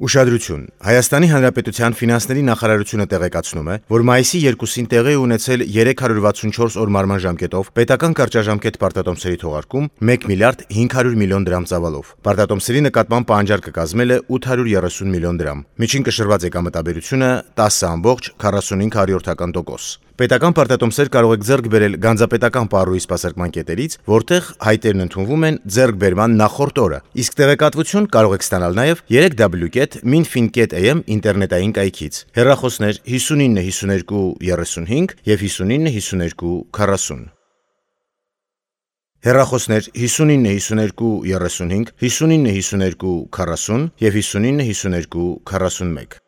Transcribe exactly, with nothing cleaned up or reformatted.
Ուշադրություն. Հայաստանի Հանրապետության ֆինանսների նախարարությունը տեղեկացնում է, որ մայիսի երկուսին տեղի է ունեցել երեք հարյուր վաթսունչորս օր մարման ժամկետով պետական կարճաժամկետ պարտատոմսերի թողարկում մեկ միլիարդ հինգ հարյուր միլիոն դրամ ծավալով։ Պարտատոմսերի նկատմամբ պահանջարկը կազմել է ութ հարյուր երեսուն միլիոն դրամ։ Միջին կշռված եկամտաբերությունը տասը ամբողջ քառասունհինգ հարյուրորդական տոկոս։ Պետական պարտատոմսեր կարող եք ձեռք բերել գանձապետական պարույի սպասարկման կետերից, որտեղ հայտերն ընդունվում են ձեռքբերման նախորդ օրը, իսկ տեղեկատվություն կարող եք ստանալ նաև երեք w կետ մինֆին կետ a m ինտերնետային կայքից։ Հեռախոսներ հիսունինը հիսուներկու երեսունհինգ և հիսունինը հիսուներկու քառասուն։ Հեռախոսներ հիսունինը հիսուներկու երեսունհինգ, հիսունինը հիսուներկու քառասուն և հիսունինը հիսուներկու քառասունմեկ։